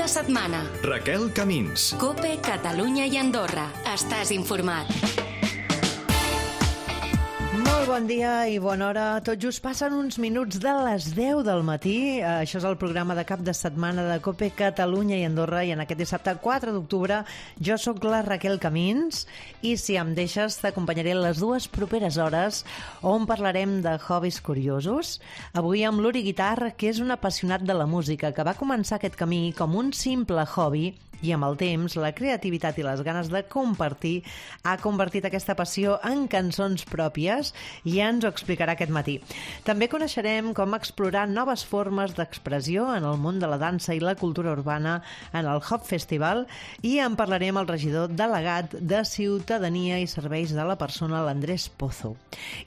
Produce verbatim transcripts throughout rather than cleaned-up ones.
de setmana. Raquel Camins. COPE, Catalunya i Andorra. Estàs informat. Molt bon dia i bona hora. Tot just passen uns minuts de les deu del matí. Això és el programa de cap de setmana de COPE, Catalunya i Andorra, i en aquest dissabte quatre d'octubre jo sóc la Raquel Camins i, si em deixes, t'acompanyaré les dues properes hores on parlarem de hobbies curiosos. Avui amb l'Uri Guitar, que és un apassionat de la música, que va començar aquest camí com un simple hobby i amb el temps, la creativitat i les ganes de compartir ha convertit aquesta passió en cançons pròpies i ja ens ho explicarà aquest matí. També coneixerem com explorar noves formes d'expressió en el món de la dansa i la cultura urbana en el Hop Festival i en parlarem amb el regidor delegat de Ciutadania i Serveis de la Persona, l'Andrés Pozo.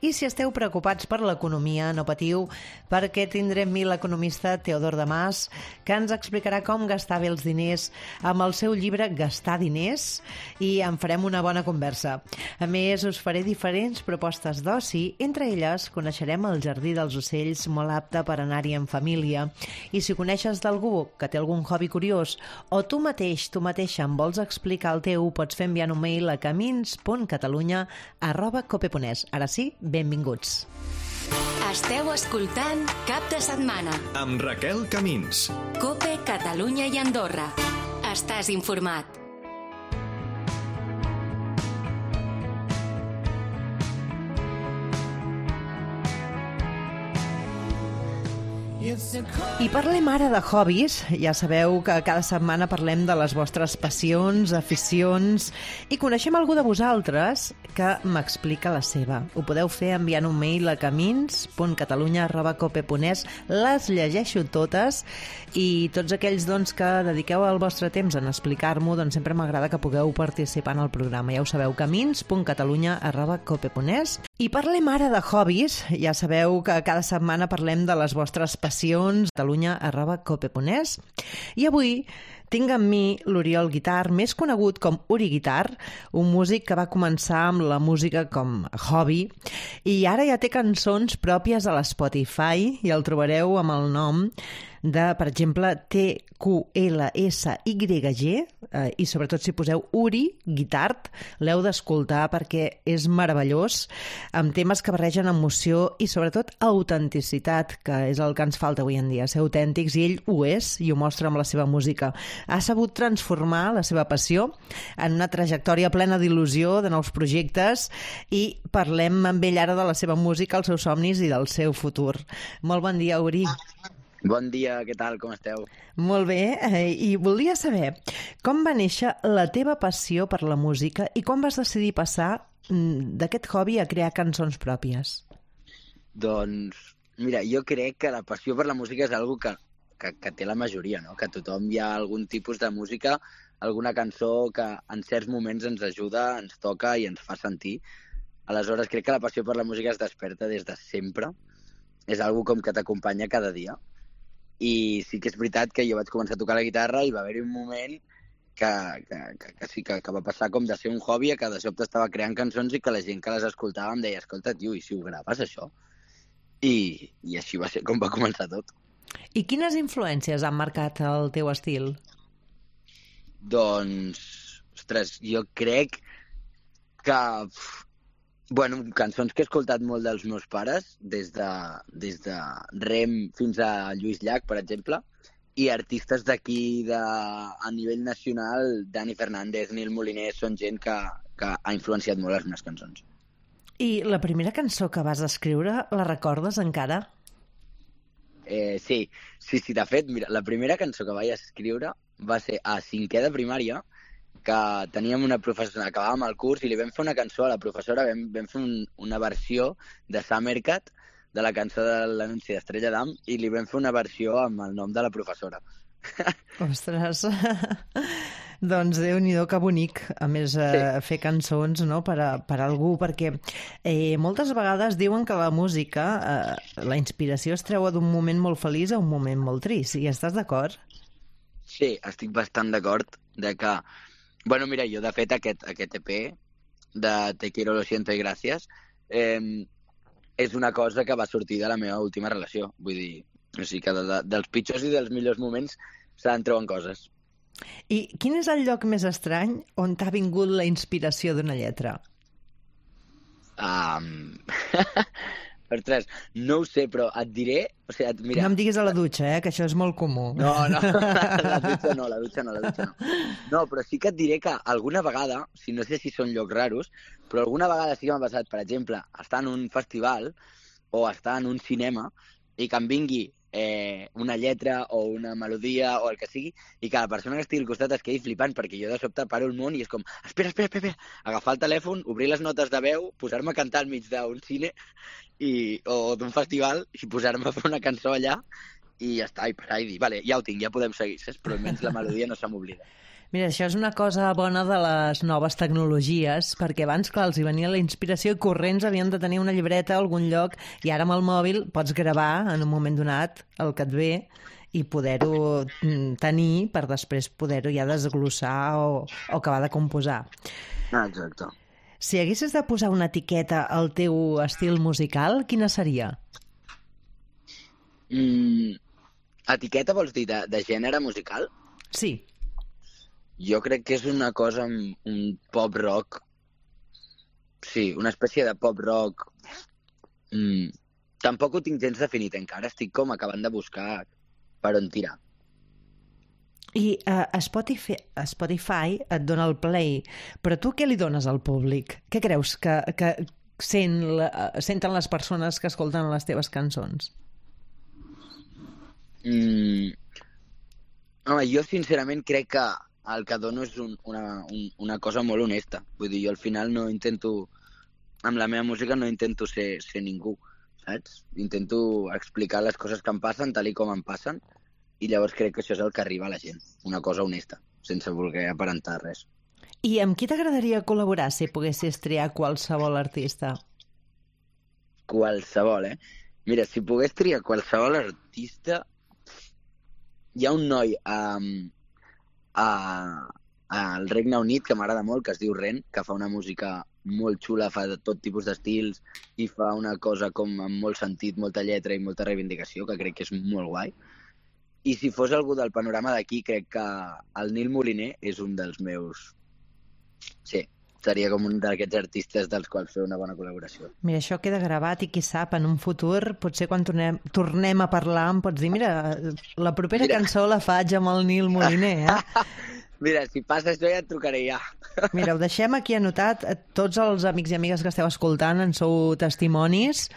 I si esteu preocupats per l'economia, no patiu, perquè tindrem l'economista Teodor Damas, que ens explicarà com gastar bé els diners amb el seu llibre Gastar diners, i en farem una bona conversa. A més, us faré diferents propostes d'oci, entre elles coneixerem el Jardí dels Ocells, molt apte per anar-hi en família. I si coneixes d'algú que té algun hobby curiós o tu mateix, tu mateixa em vols explicar el teu, pots fer enviant un mail a camins punt catalunya arroba cope punt es. Ara sí, benvinguts. Esteu escoltant Cap de Setmana amb Raquel Camins. COPE, Catalunya i Andorra. Estàs informat. I parlem ara de hobbies. Ja sabeu que cada setmana parlem de les vostres passions, aficions, i coneixem algú de vosaltres que m'explica la seva. Ho podeu fer enviant un mail a camins punt catalunya arroba cope punt es. Les llegeixo totes i tots aquells doncs, que dediqueu el vostre temps en explicar-m'ho, doncs sempre m'agrada que pugueu participar en el programa. Ja ho sabeu, camins punt catalunya arroba cope punt es. I parlem ara de hobbies. Ja sabeu que cada setmana parlem de les vostres passions, catalunya arroba cope punt es. I avui tinc amb mi l'Oriol Guitar, més conegut com Uri Guitar, un músic que va començar amb la música com a hobby i ara ja té cançons pròpies a l'Spotify i el trobareu amb el nom de, per exemple, T Q L S Y G, eh, i sobretot si poseu Uri Guitar, l'heu d'escoltar perquè és meravellós, amb temes que barregen emoció i sobretot autenticitat, que és el que ens falta avui en dia, ser autèntics, i ell ho és i ho mostra amb la seva música. Ha sabut transformar la seva passió en una trajectòria plena d'il·lusió, de nous projectes, i parlem amb ell ara de la seva música, els seus somnis i del seu futur. Molt bon dia, Uri. Bon dia, què tal, com esteu? Molt bé, eh, i volia saber com va néixer la teva passió per la música i com vas decidir passar d'aquest hobby a crear cançons pròpies? Doncs, mira, jo crec que la passió per la música és algo que, que, que té la majoria, no? Que a tothom hi ha algun tipus de música, alguna cançó que en certs moments ens ajuda, ens toca i ens fa sentir. Aleshores, crec que la passió per la música es desperta des de sempre. És algo com que t'acompanya cada dia. I sí que és veritat que jo vaig començar a tocar la guitarra i va haver-hi un moment que, que, que, que sí que, que va passar com de ser un hobby a que de sobte estava creant cançons i que la gent que les escoltava em deia, escolta, tio, i si ho graves, això? I, i així va ser com va començar tot. I quines influències han marcat el teu estil? Doncs, ostres, jo crec que... Bueno, cançons que he escoltat molt dels meus pares, des de, des de Rem fins a Lluís Llach, per exemple, i artistes d'aquí de, a nivell nacional, Dani Fernández, Nil Moliner, són gent que, que ha influenciat molt les meves cançons. I la primera cançó que vas escriure, la recordes encara? Eh, sí, sí, sí, de fet, mira, la primera cançó que vaig escriure va ser a cinquè de primària, que teníem una professora, acabàvem el curs i li vam fer una cançó a la professora, vam, vam fer un, una versió de Summercat, de la cançó de l'anunci d'Estrella d'Am, i li vam fer una versió amb el nom de la professora. Ostres, doncs Déu-n'hi-do, que bonic, a més, sí. eh, fer cançons, no?, per a, per a algú, perquè eh, moltes vegades diuen que la música, eh, la inspiració es treu d'un moment molt feliç a un moment molt trist, i estàs d'acord? Sí, estic bastant d'acord de que... Bueno, mira, jo, de fet, aquest, aquest E P de Te quiero, lo siento y gracias eh, és una cosa que va sortir de la meva última relació. Vull dir, o sigui que de, de, dels pitjors i dels millors moments se'n treuen coses. I quin és el lloc més estrany on t'ha vingut la inspiració d'una lletra? Um... Ostres, no ho sé, però et diré... O sigui, et, mira... No em diguis a la dutxa, eh, que això és molt comú. No, no, la dutxa no, la dutxa no, la dutxa no. No, però sí que et diré que alguna vegada, si no sé si són llocs raros, però alguna vegada sí que m'ha passat, per exemple, estar en un festival o estar en un cinema i que em vingui eh, una lletra o una melodia o el que sigui i que la persona que estigui al costat es quedi flipant perquè jo de sobte paro el món i és com espera, espera, espera, espera, agafar el telèfon, obrir les notes de veu, posar-me a cantar al mig d'un cine i, o d'un festival i posar-me a fer una cançó allà i ja està, i parar i dir, vale, ja ho tinc, ja podem seguir, saps? Però almenys la melodia no se m'oblida. Mira, això és una cosa bona de les noves tecnologies, perquè abans, clar, els hi venia la inspiració i corrents havien de tenir una llibreta a algun lloc i ara amb el mòbil pots gravar en un moment donat el que et ve i poder-ho tenir per després poder-ho ja desglossar o, o acabar de composar. Ah, exacte. Si haguessis de posar una etiqueta al teu estil musical, quina seria? Mm, etiqueta vols dir de, de gènere musical? Sí. Jo crec que és una cosa, un pop rock, sí, una espècie de pop rock. Mm. Tampoc ho tinc gens definit encara, estic com acabant de buscar per on tirar. I uh, a Spotify, a Spotify et dona el play, però tu què li dones al públic? Què creus que, que sent la, senten les persones que escolten les teves cançons? Mm. Home, jo sincerament crec que el que dono és un, una, un, una cosa molt honesta. Vull dir, jo al final no intento, amb la meva música no intento ser, ser ningú, saps? Intento explicar les coses que em passen tal i com em passen i llavors crec que això és el que arriba a la gent, una cosa honesta, sense voler aparentar res. I amb qui t'agradaria col·laborar si poguessis triar qualsevol artista? Qualsevol, eh? Mira, si pogués triar qualsevol artista, hi ha un noi um, a, al Regne Unit que m'agrada molt, que es diu Ren, que fa una música molt xula, fa de tot tipus d'estils i fa una cosa com amb molt sentit, molta lletra i molta reivindicació, que crec que és molt guai. I si fos algú del panorama d'aquí, crec que el Nil Moliner és un dels meus... Sí, seria com un d'aquests artistes dels quals fer una bona col·laboració. Mira, això queda gravat i qui sap, en un futur, potser quan tornem, tornem a parlar em pots dir, mira, la propera mira. cançó la faig amb el Nil Moliner, eh? Mira, si passa això ja et trucaré ja. Mira, ho deixem aquí anotat. Tots els amics i amigues que esteu escoltant en sou testimonis,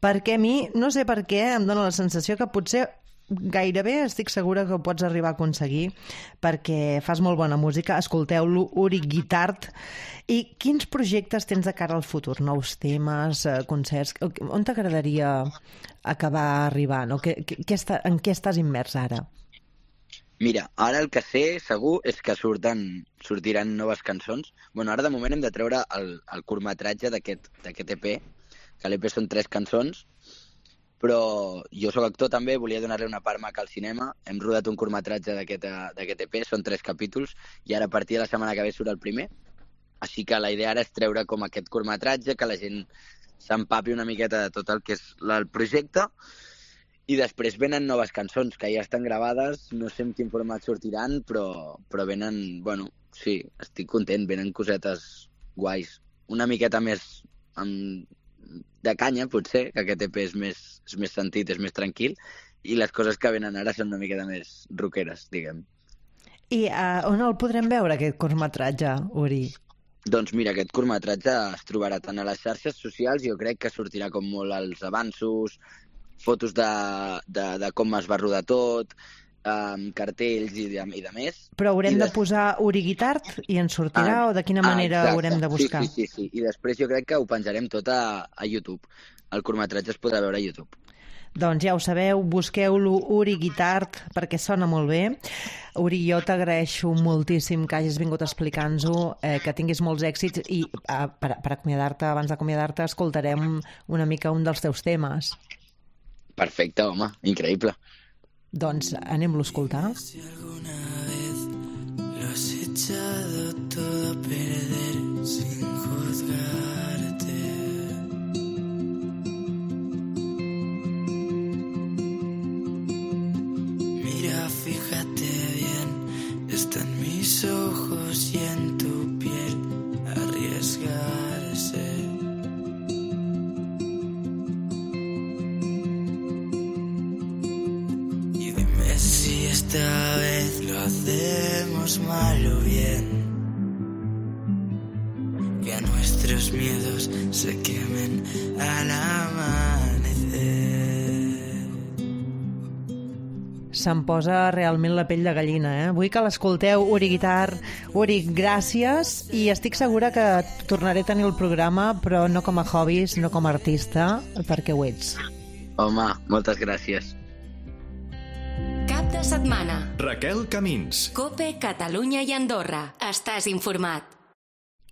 perquè a mi, no sé per què, em dóna la sensació que potser gairebé estic segura que ho pots arribar a aconseguir perquè fas molt bona música. Escolteu-lo, Uri Guitart. I quins projectes tens de cara al futur? Nous temes, concerts? On t'agradaria acabar arribant? O què, què està, en què estàs immers ara? Mira, ara el que sé segur és que surten, sortiran noves cançons. Bueno, ara de moment hem de treure el, el curtmetratge d'aquest E P, que l'E P són tres cançons, però jo sóc actor també, volia donar-li una part maca al cinema. Hem rodat un curtmetratge d'aquest E P, són tres capítols, i ara a partir de la setmana que ve surt el primer. Així que la idea ara és treure com aquest curtmetratge, que la gent s'empapi una miqueta de tot el que és el projecte, i després venen noves cançons que ja estan gravades, no sé en quin format sortiran, però, però venen, bueno, sí, estic content, venen cosetes guais. Una miqueta més amb, de canya, potser, que aquest E P és més, és més sentit, és més tranquil, i les coses que venen ara són una miqueta més rockeres, diguem. I uh, on el podrem veure, aquest curtmetratge, Uri? Doncs mira, aquest curtmetratge es trobarà tant a les xarxes socials, jo crec que sortirà com molt als avanços, fotos de, de, de com es va rodar tot, um, cartells i de, i de més. Però haurem de... de posar Uri Guitart i ens sortirà, ah, o de quina manera ah, haurem de buscar? Sí, sí, sí, sí. I després jo crec que ho penjarem tot a, a YouTube. El curtmetratge es podrà veure a YouTube. Doncs ja ho sabeu, busqueu-lo, Uri Guitart, perquè sona molt bé. Uri, jo t'agraeixo moltíssim que hagis vingut a explicar-nos-ho, eh, que tinguis molts èxits i eh, per, per acomiadar-te, abans d'acomiadar-te, escoltarem una mica un dels teus temes. Perfecte, home, increïble. Doncs anem-lo a escoltar. Si alguna vez lo has echado todo a perder sin juzgarte. Mira, fíjate bien, esta mis ojos y en tu piel arriesgarse. Y dime si esta vez lo hacemos mal o bien, que a nuestros miedos se quemen al amanecer. Se'm posa realment la pell de gallina, eh? Vull que l'escolteu, Uri Guitar. Uri, gràcies, i estic segura que tornaré a tenir el programa, però no com a hobby, sinó com a artista, perquè ho ets. Home, moltes gràcies. Cap de setmana. Raquel Camins. COPE, Catalunya i Andorra. Estàs informat.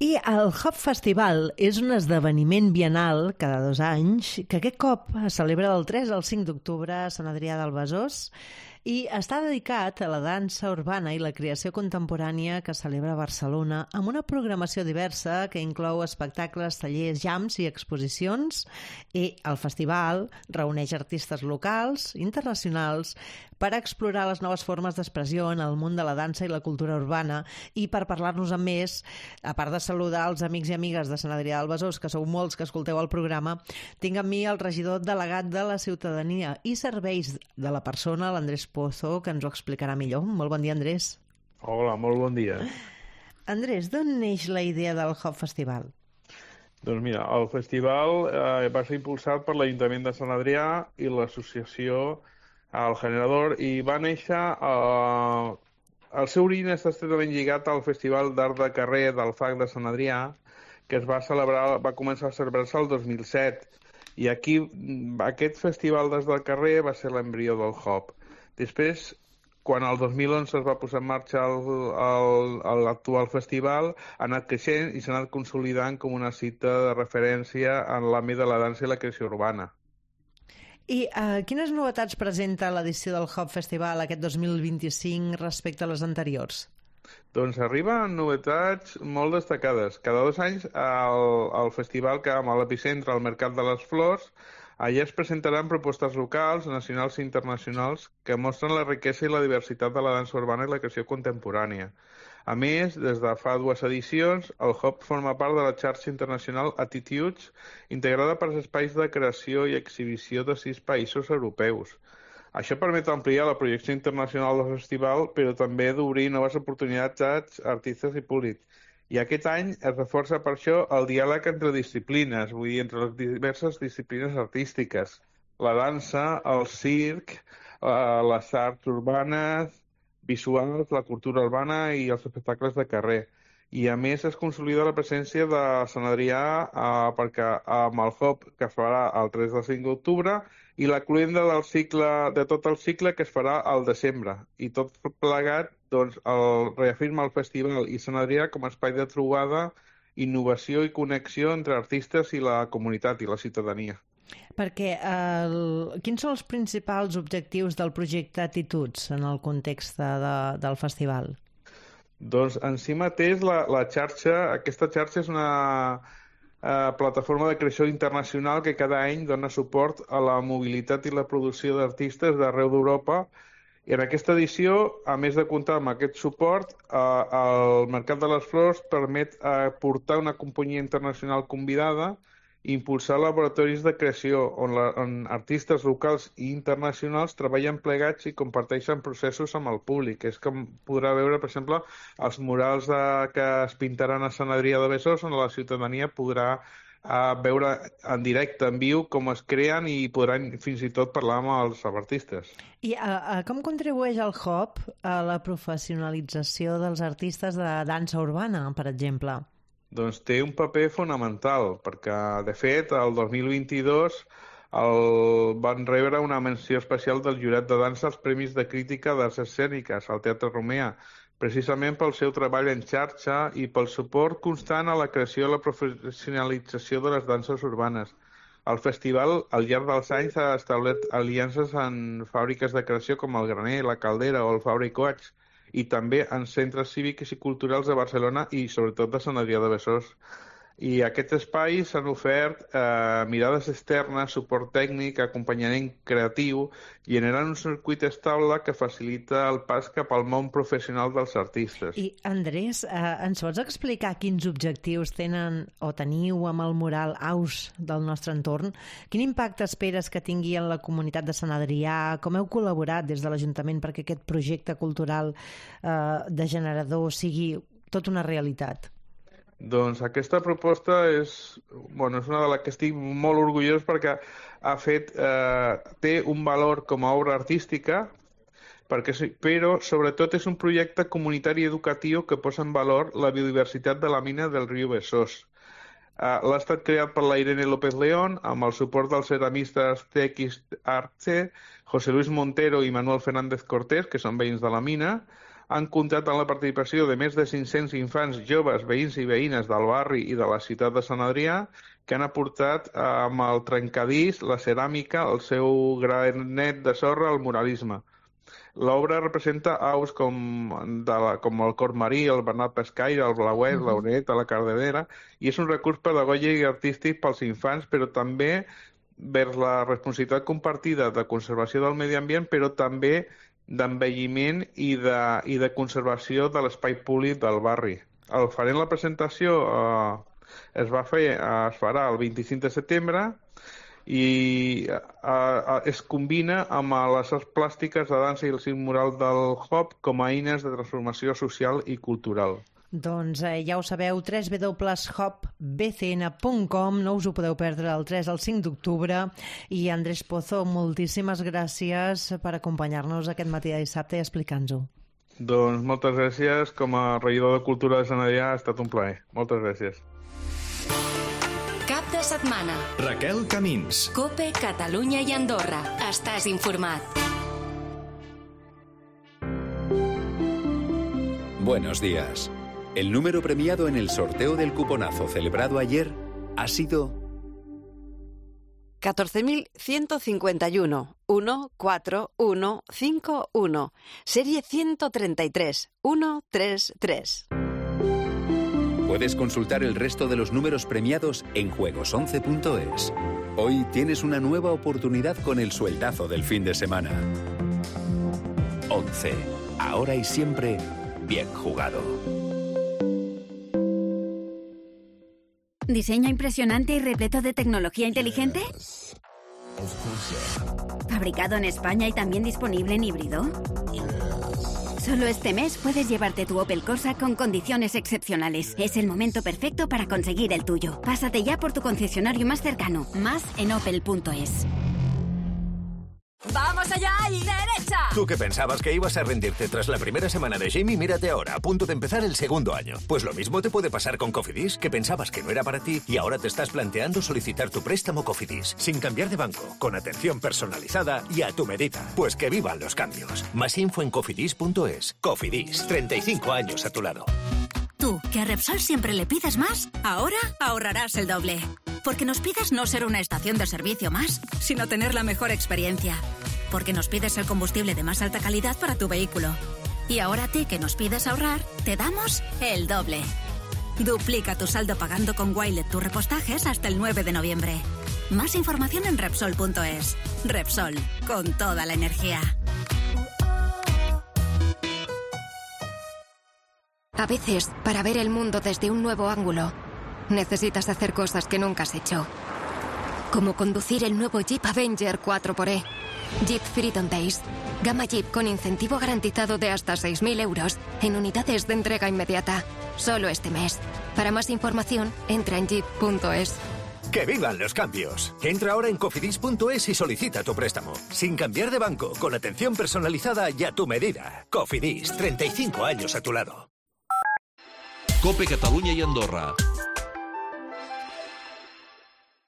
I el Hop Festival és un esdeveniment bienal cada dos anys que aquest cop es celebra del tres al cinc d'octubre a Sant Adrià del Besòs i està dedicat a la dansa urbana i la creació contemporània que celebra Barcelona amb una programació diversa que inclou espectacles, tallers, jams i exposicions, i el festival reuneix artistes locals, internacionals, per explorar les noves formes d'expressió en el món de la dansa i la cultura urbana. I per parlar-nos amb més, a part de saludar els amics i amigues de Sant Adrià del Besòs, que sou molts que escolteu el programa, tinc amb mi el regidor delegat de la Ciutadania i Serveis de la Persona, l'Andrés Pozo, que ens ho explicarà millor. Molt bon dia, Andrés. Hola, molt bon dia. Andrés, d'on neix la idea del Hop Festival? Doncs mira, el festival eh, va ser impulsat per l'Ajuntament de Sant Adrià i l'associació El Generador, i va néixer... Eh, el seu origen està estretament lligat al Festival d'Art de Carrer del F A C de Sant Adrià, que es va celebrar, va començar a celebrar-se el dos mil set. I aquí, aquest festival des del carrer va ser l'embrió del Hop. Després, quan el dos mil onze es va posar en marxa l'actual festival, ha anat creixent i s'ha anat consolidant com una cita de referència en l'àmbit de la dansa i la creació urbana. I uh, quines novetats presenta l'edició del Hop Festival aquest dos mil vint-i-cinc respecte a les anteriors? Doncs arriben novetats molt destacades. Cada dos anys el, el festival que amb l'epicentre al Mercat de les Flors, allà es presentaran propostes locals, nacionals i internacionals que mostren la riquesa i la diversitat de la dansa urbana i la creació contemporània. A més, des de fa dues edicions, el Hop forma part de la xarxa internacional Attitudes, integrada per espais de creació i exhibició de sis països europeus. Això permet ampliar la projecció internacional del festival, però també d'obrir noves oportunitats a artistes i públic. I aquest any es reforça per això el diàleg entre disciplines, vull dir, entre les diverses disciplines artístiques. La dansa, el circ, les arts urbanes, visuals, la cultura urbana i els espectacles de carrer. I a més es consolida la presència de Sant Adrià eh, perquè amb el Hop que es farà el tres al cinc d'octubre i la cluenda del cicle, de tot el cicle que es farà al desembre. I tot plegat doncs, el, reafirma el festival i Sant Adrià com a espai de trobada, innovació i connexió entre artistes i la comunitat i la ciutadania. Perquè el... quins són els principals objectius del projecte Attitudes en el context de, de, del festival? Doncs en si mateix la, la xarxa, aquesta xarxa és una eh, plataforma de creació internacional que cada any dona suport a la mobilitat i la producció d'artistes d'arreu d'Europa. I en aquesta edició, a més de comptar amb aquest suport, eh, el Mercat de les Flors permet eh, portar una companyia internacional convidada i impulsar laboratoris de creació on, la, on artistes locals i internacionals treballen plegats i comparteixen processos amb el públic. És com podrà veure, per exemple, els murals de, que es pintaran a Sant Adrià de Besòs, on la ciutadania podrà eh, veure en directe, en viu, com es creen i podran fins i tot parlar amb els artistes. I a, a, com contribueix el Hop a la professionalització dels artistes de dansa urbana, per exemple? Doncs té un paper fonamental, perquè, de fet, el dos mil vint-i-dos el... van rebre una menció especial del jurat de dansa als Premis de Crítica d'Arts Escèniques al Teatre Romea, precisament pel seu treball en xarxa i pel suport constant a la creació i la professionalització de les danses urbanes. El festival, al llarg dels anys, ha establert aliances en fàbriques de creació com el Graner, la Caldera o el Fabra i Coats, i també en centres cívics i culturals de Barcelona i sobretot de Sant Adrià de Besòs. I aquests espais s'han ofert eh, mirades externes, suport tècnic, acompanyament creatiu, generant un circuit estable que facilita el pas cap al món professional dels artistes. I, Andrés, eh, ens pots explicar quins objectius tenen o teniu amb el mural Aus del nostre entorn? Quin impacte esperes que tingui en la comunitat de Sant Adrià? Com heu col·laborat des de l'Ajuntament perquè aquest projecte cultural eh, de generador sigui tot una realitat? Doncs aquesta proposta és, bueno, és una de les que estic molt orgullós perquè ha fet, eh, té un valor com a obra artística, perquè, però sobretot és un projecte comunitari educatiu que posa en valor la biodiversitat de la mina del riu Besòs. Uh, l'ha estat creat per la Irene López León amb el suport dels ceramistes Tequis Arce, José Luis Montero i Manuel Fernández Cortés, que són veïns de la mina. Han comptat amb la participació de més de cinc-cents infants joves, veïns i veïnes del barri i de la ciutat de Sant Adrià, que han aportat eh, amb el trencadís, la ceràmica, el seu granet de sorra, el muralisme. L'obra representa aus com, de la, com el cor marí, el bernat pescaire, el blauet, mm-hmm. l'oret, la cardedera, i és un recurs pedagògic i artístic pels infants, però també vers la responsabilitat compartida de conservació del medi ambient, però també d'envelliment i de, i de conservació de l'espai públic del barri. El farem la presentació eh, es va fer, eh, es farà el vint-i-cinc de setembre i eh, eh, es combina amb les arts plàstiques de dansa i el circ mural del Hop com a eines de transformació social i cultural. Doncs eh, ja ho sabeu, w w w punt hop b c n punt com, no us ho podeu perdre el tres al cinc d'octubre. I Andrés Pozo, moltíssimes gràcies per acompanyar-nos aquest matí de dissabte i explicar-nos-ho. Doncs moltes gràcies, com a regidor de Cultura de Sant Adrià ha estat un plaer. Moltes gràcies. Cap de setmana. Raquel Camins. COPE, Catalunya i Andorra. Estàs informat. Buenos días. El número premiado en el sorteo del cuponazo celebrado ayer ha sido catorce mil ciento cincuenta y uno, uno cuatro uno cinco uno, serie ciento treinta y tres, ciento treinta y tres. Puedes consultar el resto de los números premiados en juegos once punto es. Hoy tienes una nueva oportunidad con el sueldazo del fin de semana. once. Ahora y siempre, bien jugado. ¿Diseño impresionante y repleto de tecnología inteligente? ¿Fabricado en España y también disponible en híbrido? Solo este mes puedes llevarte tu Opel Corsa con condiciones excepcionales. Es el momento perfecto para conseguir el tuyo. Pásate ya por tu concesionario más cercano. Más en opel punto es. ¡Vamos allá y derecha! Tú que pensabas que ibas a rendirte tras la primera semana de Jamie, mírate ahora, a punto de empezar el segundo año. Pues lo mismo te puede pasar con Cofidis, que pensabas que no era para ti y ahora te estás planteando solicitar tu préstamo Cofidis, sin cambiar de banco, con atención personalizada y a tu medida. Pues que vivan los cambios. Más info en cofidis punto es. Cofidis, treinta y cinco años a tu lado. Tú, que a Repsol siempre le pides más, ahora ahorrarás el doble. Porque nos pides no ser una estación de servicio más, sino tener la mejor experiencia. Porque nos pides el combustible de más alta calidad para tu vehículo. Y ahora a ti, que nos pides ahorrar, te damos el doble. Duplica tu saldo pagando con Wilet tus repostajes hasta el nueve de noviembre. Más información en Repsol punto es. Repsol, con toda la energía. A veces, para ver el mundo desde un nuevo ángulo, necesitas hacer cosas que nunca has hecho. Como conducir el nuevo Jeep Avenger cuatro por E. Jeep Freedom Days. Gama Jeep con incentivo garantizado de hasta seis mil euros en unidades de entrega inmediata. Solo este mes. Para más información, entra en jeep punto es. ¡Que vivan los cambios! Entra ahora en cofidis punto es y solicita tu préstamo. Sin cambiar de banco, con atención personalizada y a tu medida. Cofidis, treinta y cinco años a tu lado. COPE Catalunya i Andorra.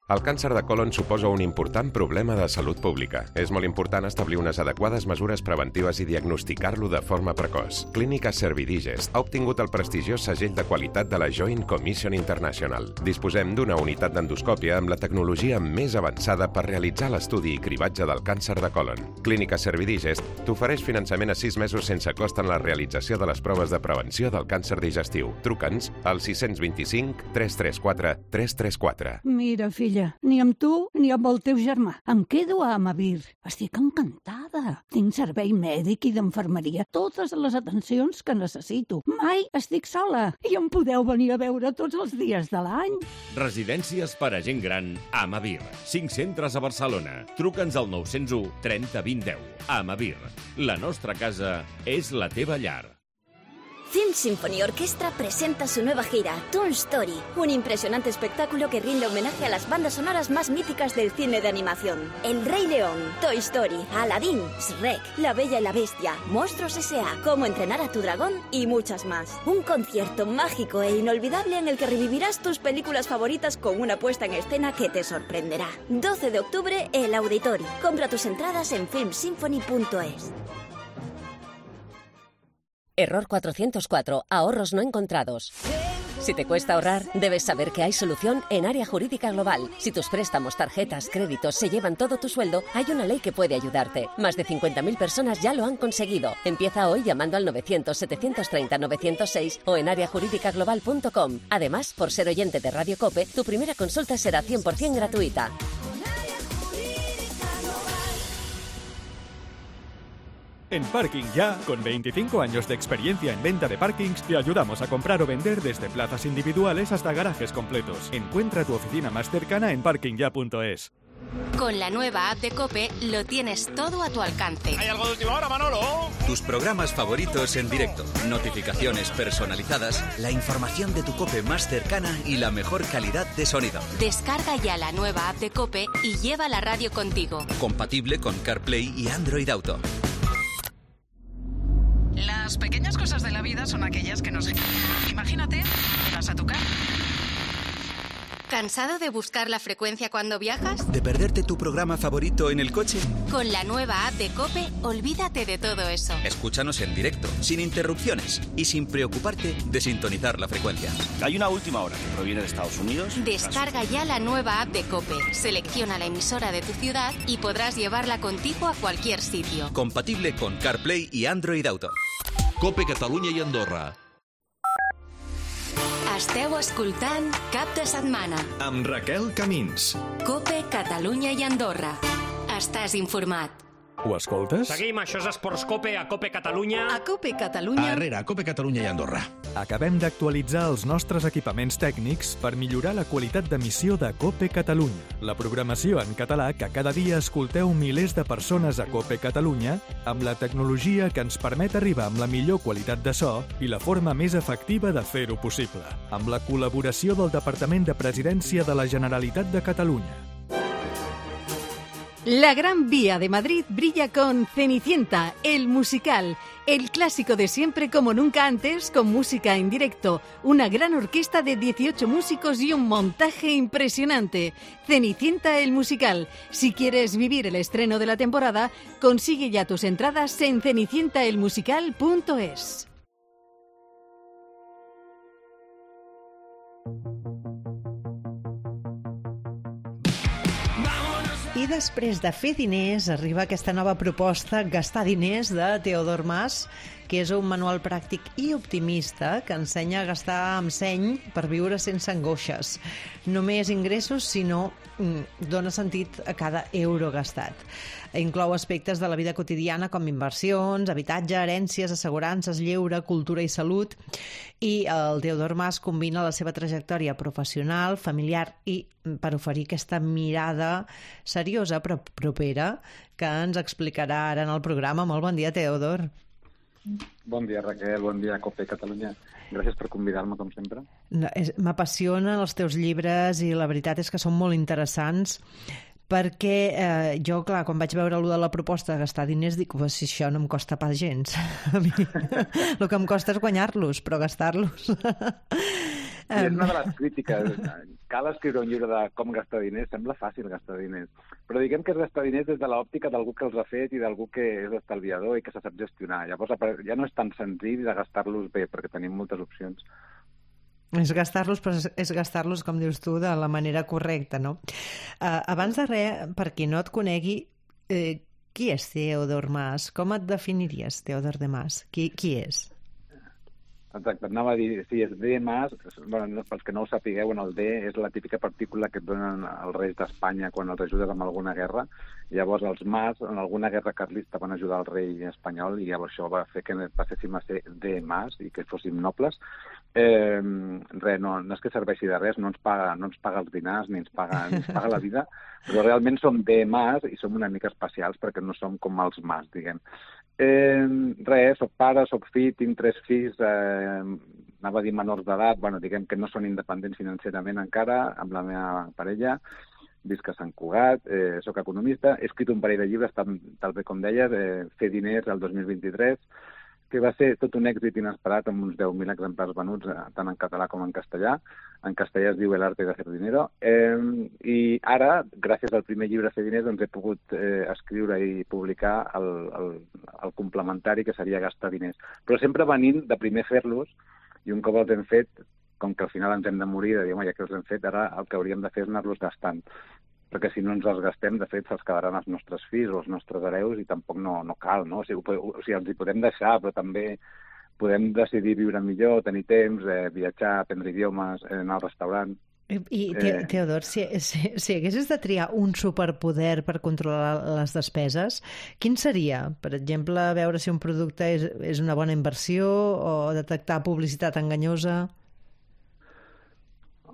El càncer de colon suposa un important problema de salut pública. És molt important establir unes adequades mesures preventives i diagnosticar-lo de forma precoç. Clínica Servidigest ha obtingut el prestigiós segell de qualitat de la Joint Commission International. Disposem d'una unitat d'endoscòpia amb la tecnologia més avançada per realitzar l'estudi i cribatge del càncer de colon. Clínica Servidigest t'ofereix finançament a sis mesos sense cost en la realització de les proves de prevenció del càncer digestiu. Truca'ns al sis dos cinc, tres tres quatre, tres tres quatre. Mira, fill, ni amb tu ni amb el teu germà. Em quedo a Amavir. Estic encantada. Tinc servei mèdic i d'infermeria, totes les atencions que necessito. Mai estic sola i em podeu venir a veure tots els dies de l'any. Residències per a gent gran Amavir. Cinc centres a Barcelona. Truca'ns al nou zero u, trenta, vint, deu. Amavir. La nostra casa és la teva llar. Film Symphony Orquestra presenta su nueva gira, Toon Story, un impresionante espectáculo que rinde homenaje a las bandas sonoras más míticas del cine de animación. El Rey León, Toy Story, Aladdin, Shrek, La Bella y la Bestia, Monstruos S A, Cómo entrenar a tu dragón y muchas más. Un concierto mágico e inolvidable en el que revivirás tus películas favoritas con una puesta en escena que te sorprenderá. doce de octubre, El Auditorio. Compra tus entradas en film symphony punto es. Error cuatrocientos cuatro. Ahorros no encontrados. Si te cuesta ahorrar, debes saber que hay solución en Área Jurídica Global. Si tus préstamos, tarjetas, créditos se llevan todo tu sueldo, hay una ley que puede ayudarte. Más de cincuenta mil personas ya lo han conseguido. Empieza hoy llamando al novecientos, setecientos treinta, novecientos seis o en área jurídica global punto com. Además, por ser oyente de Radio COPE, tu primera consulta será cien por ciento gratuita. En Parking Ya, con veinticinco años de experiencia en venta de parkings, te ayudamos a comprar o vender desde plazas individuales hasta garajes completos. Encuentra tu oficina más cercana en parking ya punto es. Con la nueva app de COPE lo tienes todo a tu alcance. ¿Hay algo de última hora, Manolo? Tus programas favoritos en directo, notificaciones personalizadas, la información de tu COPE más cercana y la mejor calidad de sonido. Descarga ya la nueva app de COPE y lleva la radio contigo. Compatible con CarPlay y Android Auto. Las pequeñas cosas de la vida son aquellas que nos... Imagínate, llegas a tu casa. ¿Cansado de buscar la frecuencia cuando viajas? ¿De perderte tu programa favorito en el coche? Con la nueva app de COPE, olvídate de todo eso. Escúchanos en directo, sin interrupciones y sin preocuparte de sintonizar la frecuencia. Hay una última hora que proviene de Estados Unidos. Descarga ya la nueva app de COPE. Selecciona la emisora de tu ciudad y podrás llevarla contigo a cualquier sitio. Compatible con CarPlay y Android Auto. COPE Catalunya i Andorra. Esteu escoltant Cap de Setmana amb Raquel Camins. COPE Catalunya i Andorra. Estàs informat. Ho escoltes? Seguim, això és Esports COPE a COPE Catalunya. A COPE Catalunya. Arrere, a COPE Catalunya i Andorra. Acabem d'actualitzar els nostres equipaments tècnics per millorar la qualitat d'emissió de COPE Catalunya, la programació en català que cada dia escolteu milers de persones a COPE Catalunya amb la tecnologia que ens permet arribar amb la millor qualitat de so i la forma més efectiva de fer-ho possible, amb la col·laboració del Departament de Presidència de la Generalitat de Catalunya. La Gran Vía de Madrid brilla con Cenicienta, el musical, el clásico de siempre como nunca antes, con música en directo, una gran orquesta de dieciocho músicos y un montaje impresionante. Cenicienta, el musical. Si quieres vivir el estreno de la temporada, consigue ya tus entradas en cenicienta el musical punto es. I després de fer diners, arriba aquesta nova proposta, Gastar diners, de Teodor Mas, que és un manual pràctic i optimista que ensenya a gastar amb seny per viure sense angoixes. No només ingressos, sinó mm, dona sentit a cada euro gastat. Inclou aspectes de la vida quotidiana com inversions, habitatge, herències, assegurances, lleure, cultura i salut. I el Teodor Mas combina la seva trajectòria professional, familiar i per oferir aquesta mirada seriosa però propera que ens explicarà ara en el programa. Molt bon dia, Teodor. Bon dia, Raquel. Bon dia, COPE Catalunya. Gràcies per convidar-me, com sempre. No, M'apassionen els teus llibres i la veritat és que són molt interessants perquè eh, jo, clar, quan vaig veure allò de la proposta de gastar diners, dic, pues, si això no em costa pas gens. A mi el que em costa és guanyar-los, però gastar-los... I és una de les crítiques. Cal escriure un llibre de com gastar diners, sembla fàcil gastar diners. Però diguem que és gastar diners des de l'òptica d'algú que els ha fet i d'algú que és estalviador i que se sap gestionar. Llavors ja no és tan senzill de gastar-los bé, perquè tenim moltes opcions. És gastar-los, però és gastar-los, com dius tu, de la manera correcta, no? Uh, abans de res, per qui no et conegui, eh, qui és Teodor Mas? Com et definiries, Teodor de Mas? Qui, qui és? Exacte, anava a dir, sí, és D Mas, bueno, pels que no ho sapigueu, en el D és la típica partícula que et donen els reis d'Espanya quan els ajudes amb alguna guerra. Llavors els Mas, en alguna guerra carlista, van ajudar el rei espanyol i llavors això va fer que passéssim a ser D Mas i que fóssim nobles. Eh, res, no, no és que serveixi de res, no ens paga, no ens paga els dinars ni ens paga, ni ens paga la vida, però realment som D Mas i som una mica especials perquè no som com els Mas, diguem. Eh, res, soc pare, soc fill, tinc tres fills, eh, anava a dir menors d'edat, bueno, diguem que no són independents financerament encara, amb la meva parella, visc a Sant Cugat, eh, soc economista, he escrit un parell de llibres, tal, tal bé com deies, eh, Fer diners el dos mil vint-i-tres, que va ser tot un èxit inesperat amb uns deu mil exemplars venuts, tant en català com en castellà. En castellà es diu El arte de hacer dinero. Eh, I ara, gràcies al primer llibre Fer diners, doncs he pogut eh, escriure i publicar el, el, el complementari, que seria Gastar diners. Però sempre venint de primer fer-los, i un cop els hem fet, com que al final ens hem de morir, de dir, home, ja que els hem fet, ara el que hauríem de fer és anar-los gastant. Perquè si no ens els gastem, de fet, se'ls quedaran els nostres fills o els nostres hereus i tampoc no, no cal, no? O sigui, o sigui, els hi podem deixar, però també podem decidir viure millor, tenir temps, eh, viatjar, aprendre idiomes, eh, anar al restaurant. I, i te, Teodor, si, si, si haguessis de triar un superpoder per controlar les despeses, quin seria? Per exemple, veure si un producte és, és una bona inversió o detectar publicitat enganyosa?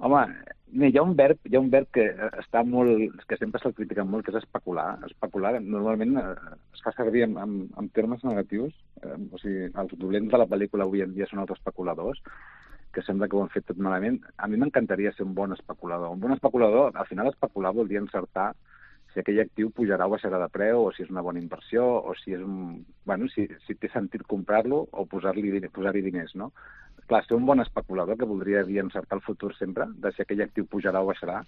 Home, hi ha un verb, hi ha un verb que està molt, que sempre se'l critica molt, que és especular. Especular normalment es fa servir en, en, en termes negatius. Eh, o sigui, els dolents de la pel·lícula avui en dia són els especuladors, que sembla que ho han fet tot malament. A mi m'encantaria ser un bon especulador. Un bon especulador, al final especular vol dir encertar si aquell actiu pujarà o baixarà de preu, o si és una bona inversió, o si és un... Bueno, si, si té sentit comprar-lo o posar-li posar-hi diners, no? Clar, ser un bon especulador, que voldria dir encertar el futur sempre, de si aquell actiu pujarà o baixarà,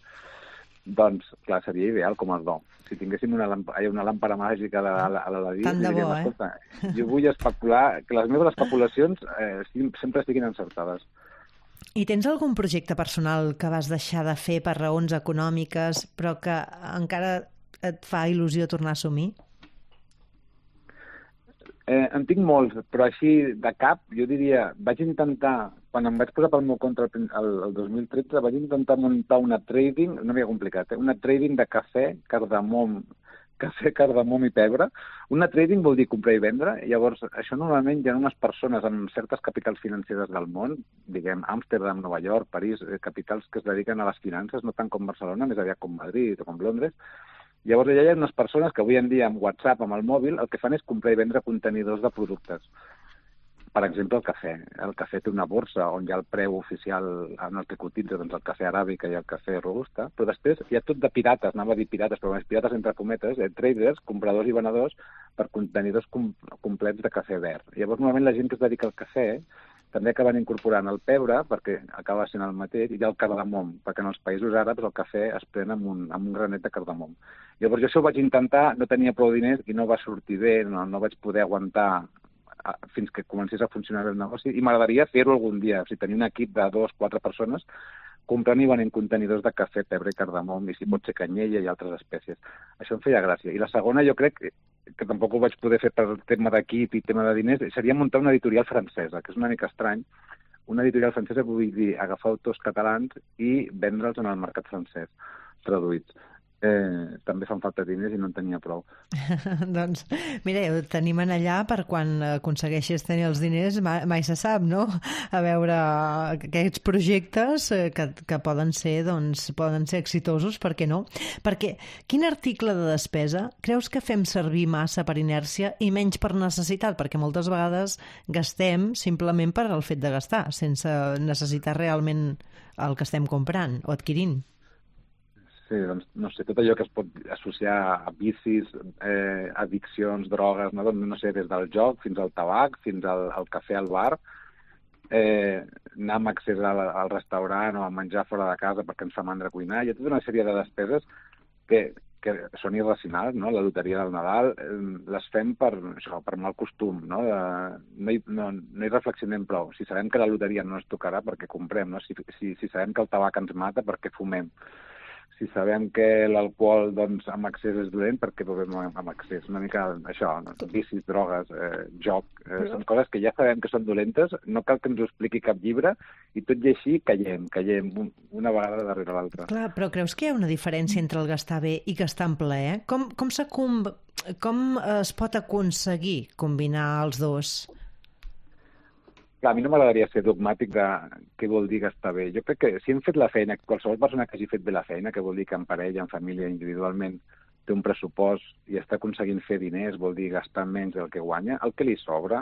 doncs, clar, seria ideal com el do. Si tinguéssim una, làmpara, una làmpara màgica a l'Aladí, diríem, bo, eh? escolta, jo vull especular, que les meves especulacions eh, sempre estiguin encertades. I tens algun projecte personal que vas deixar de fer per raons econòmiques, però que encara et fa il·lusió tornar a assumir? Eh, en tinc molts, però així de cap, jo diria, vaig intentar, quan em vaig posar pel meu compte el, el dos mil tretze, vaig intentar muntar una trading, no m'havia complicat, eh? una trading de cafè, cardamom, cafè, cardamom i pebre. Una trading vol dir comprar i vendre, i llavors això normalment hi ha unes persones en certes capitals financeres del món, diguem Amsterdam, Nova York, París, eh, capitals que es dediquen a les finances, no tant com Barcelona, més aviat com Madrid o com Londres. Llavors hi ha unes persones que avui en dia amb WhatsApp, amb el mòbil, el que fan és comprar i vendre contenidors de productes. Per exemple, el cafè. El cafè té una borsa on hi ha el preu oficial en el que cotitza, doncs el cafè aràbica i el cafè robusta, però després hi ha tot de pirates, anava a dir pirates, però més pirates entre cometes, eh, traders, compradors i venedors per contenidors com, complets de cafè verd. Llavors, normalment la gent que es dedica al cafè també acaben incorporant el pebre, perquè acaba sent el mateix, i el cardamom, perquè en els països àrabs el cafè es pren amb un, amb un granet de cardamom. Llavors jo això ho vaig intentar, no tenia prou diners i no va sortir bé, no, no vaig poder aguantar fins que comencés a funcionar el negoci, i m'agradaria fer-ho algun dia, o sigui, tenir un equip de dos, quatre persones comprant i venent contenidors de cafè, pebre i cardamom, i si pot ser canyella i altres espècies. Això em feia gràcia. I la segona, jo crec que, que tampoc ho vaig poder fer per tema d'equip i tema de diners, seria muntar una editorial francesa, que és una mica estrany. Una editorial francesa vull dir agafar autors catalans i vendre'ls en el mercat francès, traduïts. Eh, també fan falta diners i no en tenia prou. Doncs, mira, ho tenim en allà per quan aconsegueixis tenir els diners, mai, mai se sap, no? A veure aquests projectes que, que poden ser, doncs, poden ser exitosos, per què no? Perquè quin article de despesa creus que fem servir massa per inèrcia i menys per necessitat? Perquè moltes vegades gastem simplement per al fet de gastar, sense necessitar realment el que estem comprant o adquirint. Sí, doncs, no sé, tot allò que es pot associar a vicis, eh, addiccions, drogues, no? Doncs, no sé, des del joc fins al tabac, fins al, al cafè al bar, eh, anar amb accés al, al restaurant o a menjar fora de casa perquè ens fa mandra cuinar. Hi ha tota una sèrie de despeses que, que són irracionals, no? La loteria del Nadal eh, les fem per, això, per mal costum, no? De, no, hi, no, no hi reflexionem prou. Si sabem que la loteria no ens tocarà, perquè comprem, no? Si, si, si sabem que el tabac ens mata, perquè fumem. Si sabem que l'alcohol doncs, amb accés és dolent, perquè bevem amb accés. Una mica això, no? Vicis, drogues, eh, joc, eh, Però... són coses que ja sabem que són dolentes, no cal que ens ho expliqui cap llibre, i tot i així callem, callem una vegada darrere l'altra. Clar, però creus que hi ha una diferència entre el gastar bé i gastar en plaer? Com, com, com, com es pot aconseguir combinar els dos? Clar, a mi no m'agradaria ser dogmàtic de què vol dir gastar bé. Jo crec que si hem fet la feina, qualsevol persona que hagi fet bé la feina, que vol dir que en parella, en família, individualment, té un pressupost i està aconseguint fer diners, vol dir gastar menys del que guanya, el que li sobra,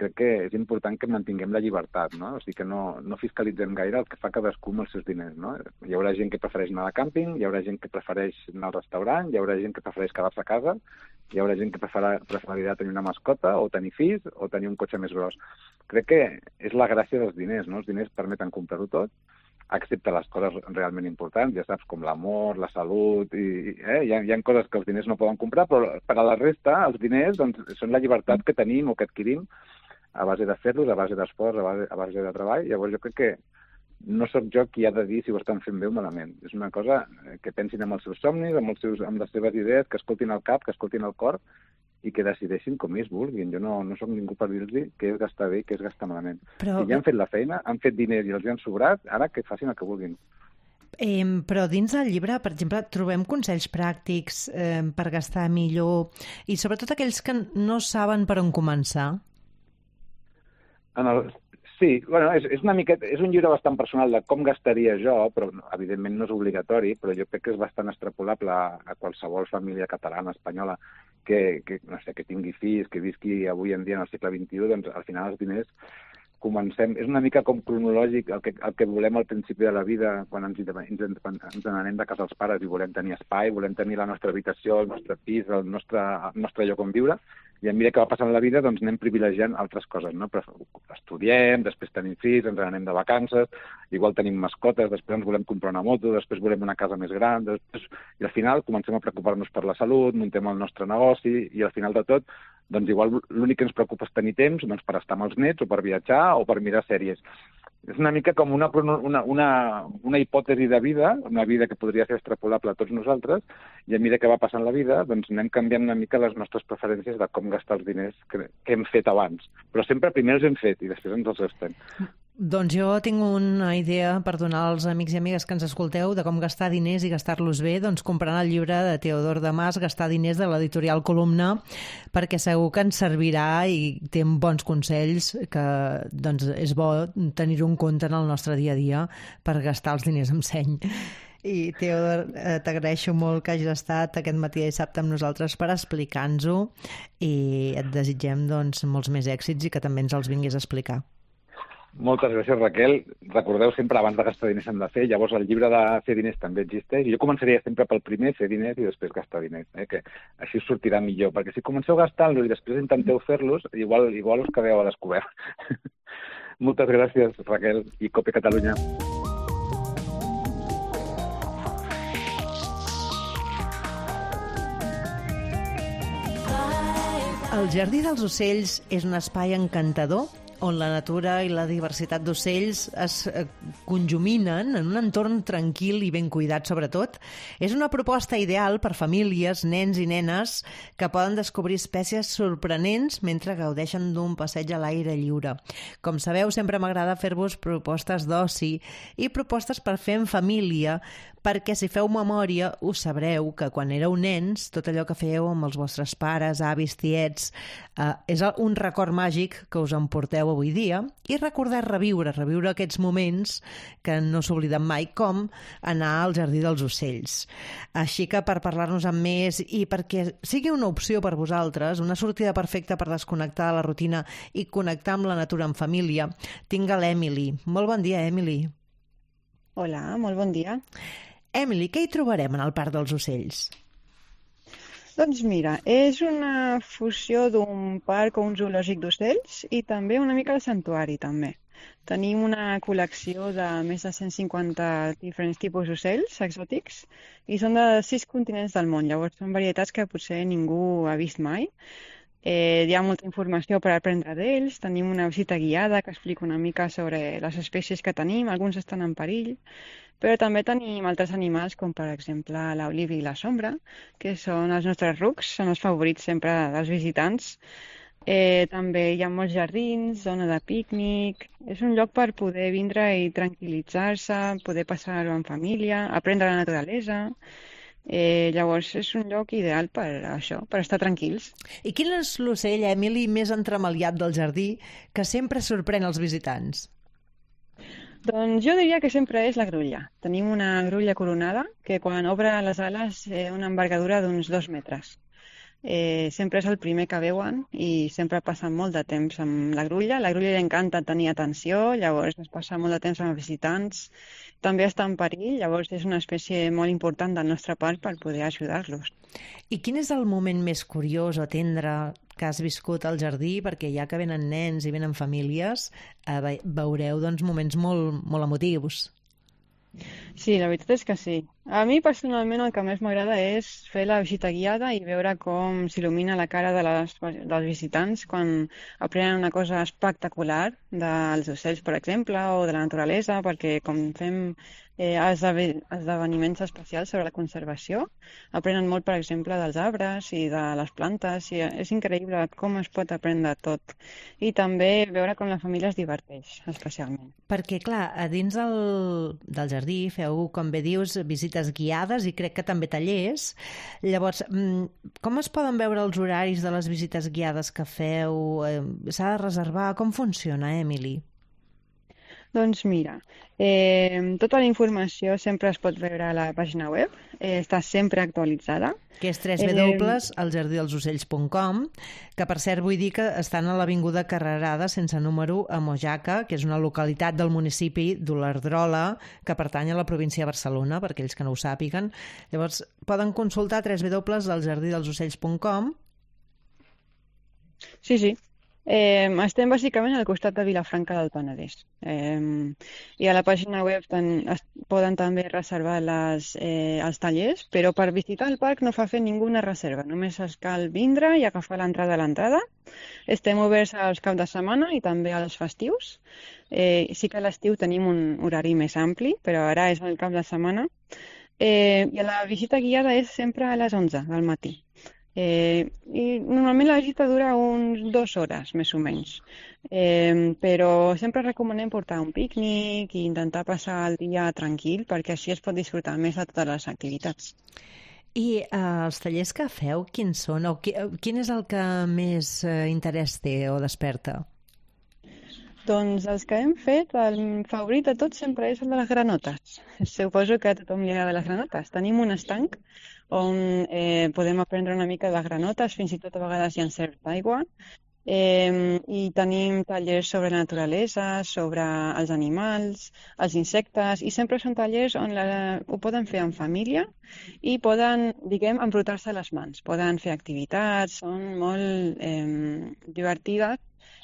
crec que és important que mantinguem la llibertat, no? O sigui que no, no fiscalitzem gaire el que fa cadascú amb els seus diners, no? Hi haurà gent que prefereix anar de càmping, hi haurà gent que prefereix anar al restaurant, hi haurà gent que prefereix quedar-se a casa, hi haurà gent que preferirà tenir una mascota o tenir fills o tenir un cotxe més gros. Crec que és la gràcia dels diners, no? Els diners permeten comprar-ho tot, excepte les coses realment importants, ja saps, com l'amor, la salut, i, eh? hi, ha, hi ha coses que els diners no poden comprar, però per a la resta els diners doncs, són la llibertat que tenim o que adquirim a base de fer-los, a base d'esforç, a base, a base de treball. Llavors jo crec que no sóc jo qui ha de dir si ho estan fent bé o malament. És una cosa que pensin amb els seus somnis, amb, els seus, amb les seves idees, que escoltin el cap, que escoltin el cor i que decideixin com ells vulguin. Jo no, no sóc ningú per dir-los què és gastar bé i què és gastar malament. Però... Si ja han fet la feina, han fet diners i els han sobrat, ara que facin el que vulguin. Eh, però dins del llibre, per exemple, trobem consells pràctics eh, per gastar millor i sobretot aquells que no saben per on començar. En el... Sí, bueno, és, és, una miqueta, és un llibre bastant personal de com gastaria jo, però evidentment no és obligatori, però jo crec que és bastant extrapolable a, a qualsevol família catalana, espanyola, que, que, no sé, que tingui fills, que visqui avui en dia en el segle vint-i-u, doncs al final els diners comencem... És una mica com cronològic el que, el que volem al principi de la vida, quan ens, ens, ens n'anem de casa els pares i volem tenir espai, volem tenir la nostra habitació, el nostre pis, el nostre, el nostre lloc on viure, i a mesura que va passant la vida doncs anem privilegiant altres coses, no? Però estudiem, després tenim fills, ens n'anem de vacances, igual tenim mascotes, després ens volem comprar una moto, després volem una casa més gran, després... i al final comencem a preocupar-nos per la salut, muntem el nostre negoci, i al final de tot, doncs igual l'únic que ens preocupa és tenir temps doncs, per estar amb els nets, o per viatjar, o per mirar sèries. És una mica com una, una, una, una hipòtesi de vida, una vida que podria ser extrapolable a tots nosaltres, i a mesura que va passant la vida, doncs anem canviant una mica les nostres preferències de com gastar els diners que, que hem fet abans. Però sempre primer els hem fet i després ens els gastem. Doncs jo tinc una idea per donar als amics i amigues que ens escolteu de com gastar diners i gastar-los bé, doncs comprant el llibre de Teodor Damas, Gastar diners, de l'editorial Columna, perquè segur que ens servirà i té bons consells que doncs, és bo tenir-ho en compte en el nostre dia a dia per gastar els diners amb seny. I Teodor, eh, t'agraeixo molt que hagis estat aquest matí de dissabte amb nosaltres per explicar-nos-ho i et desitgem doncs, molts més èxits i que també ens els vinguis a explicar. Moltes gràcies, Raquel. Recordeu sempre, abans de gastar diners hem de fer, llavors el llibre de fer diners també existeix, i jo començaria sempre pel primer, fer diners, i després gastar diners, eh? Que així us sortirà millor, perquè si comenceu gastant-los i després intenteu fer-los, igual, igual us quedeu a descobert. Moltes gràcies, Raquel, i Cope Catalunya. El Jardí dels Ocells és un espai encantador on la natura i la diversitat d'ocells es conjuminen en un entorn tranquil i ben cuidat, sobretot. És una proposta ideal per famílies, nens i nenes que poden descobrir espècies sorprenents mentre gaudeixen d'un passeig a l'aire lliure. Com sabeu, sempre m'agrada fer-vos propostes d'oci i propostes per fer en família, perquè si feu memòria us sabreu que quan éreu nens tot allò que fèieu amb els vostres pares, avis, tiets, eh, és un record màgic que us emporteu avui dia i recordar reviure, reviure aquests moments que no s'obliden mai, com anar al Jardí dels Ocells. Així que per parlar-nos amb més i perquè sigui una opció per vosaltres, una sortida perfecta per desconnectar de la rutina i connectar amb la natura en família, tinc a l'Emily. Molt bon dia, Emily. Hola, molt bon dia. Emily, què hi trobarem en el Parc dels Ocells? Doncs mira, és una fusió d'un parc o un zoològic d'ocells i també una mica de santuari, també. Tenim una col·lecció de més de cent cinquanta diferents tipus d'ocells exòtics i són de sis continents del món. Llavors són varietats que potser ningú ha vist mai. Eh, hi ha molta informació per aprendre d'ells. Tenim una visita guiada que explica una mica sobre les espècies que tenim. Alguns estan en perill. Però també tenim altres animals, com per exemple l'oliva i la sombra, que són els nostres rucs, són els favorits sempre dels visitants. Eh, també hi ha molts jardins, zona de pícnic. És un lloc per poder vindre i tranquil·litzar-se, poder passar-ho en família, aprendre la naturalesa. Eh, llavors és un lloc ideal per això, per estar tranquils. I quin és l'ocell, Emily, més entremaliat del jardí que sempre sorprèn els visitants? Doncs jo diria que sempre és la grulla. Tenim una grulla coronada que quan obre les ales té una envergadura d'uns dos metres. Eh, sempre és el primer que veuen i sempre passen molt de temps amb la grulla. La grulla li encanta tenir atenció, llavors es passa molt de temps amb els visitants. També està en perill, llavors és una espècie molt important del nostre parc per poder ajudar-los. I quin és el moment més curiós o tendre que has viscut al jardí? Perquè ja que venen nens i venen famílies, eh, veureu doncs, moments molt, molt emotius. Sí, la veritat és que sí. A mi personalment el que més m'agrada és fer la visita guiada i veure com s'il·lumina la cara de les, dels visitants quan aprenen una cosa espectacular dels ocells, per exemple, o de la naturalesa, perquè com fem eh, esdeveniments especials sobre la conservació, aprenen molt, per exemple, dels arbres i de les plantes, i és increïble com es pot aprendre tot. I també veure com la família es diverteix, especialment. Perquè, clar, a dins el, del jardí feu, com bé dius, visites guiades i crec que també tallers. Llavors, com es poden veure els horaris de les visites guiades que feu? S'ha de reservar? Com funciona, Emily? Doncs mira, eh, tota la informació sempre es pot veure a la pàgina web, eh, està sempre actualitzada. Que és w w w punt el jardí dels ocells punt com, que per cert vull dir que estan a l'avinguda Carrerada sense número a Mojaca, que és una localitat del municipi d'Olerdrola, que pertany a la província de Barcelona, per aquells que no ho sàpiguen. Llavors, poden consultar w w w punt el jardí dels ocells punt com. Sí, sí. Eh, estem bàsicament al costat de Vilafranca del Penedès. Eh, I a la pàgina web ten, es poden també reservar les, eh, els tallers, però per visitar el parc no fa fer ninguna reserva, només es cal vindre i agafar l'entrada a l'entrada. Estem oberts als caps de setmana i també als festius. Eh, sí que a l'estiu tenim un horari més ampli, però ara és el cap de setmana. Eh, I la visita guiada és sempre a les onze del matí. Eh, i normalment la visita dura uns dues hores, més o menys. Eh, però sempre recomanem portar un pícnic i intentar passar el dia tranquil perquè així es pot disfrutar més de totes les activitats. I eh, els tallers que feu, quins són? O qui, quin és el que més eh, interès té o desperta? Doncs els que hem fet, el favorit de tots sempre és el de les granotes. Suposo que a tothom li agrada les granotes. Tenim un estanc on eh, podem aprendre una mica de granotes, fins i tot a vegades hi ha cert d'aigua. Eh, I tenim tallers sobre la naturalesa, sobre els animals, els insectes, i sempre són tallers on la, ho poden fer en família i poden, diguem, embrutar-se les mans. Poden fer activitats, són molt eh, divertides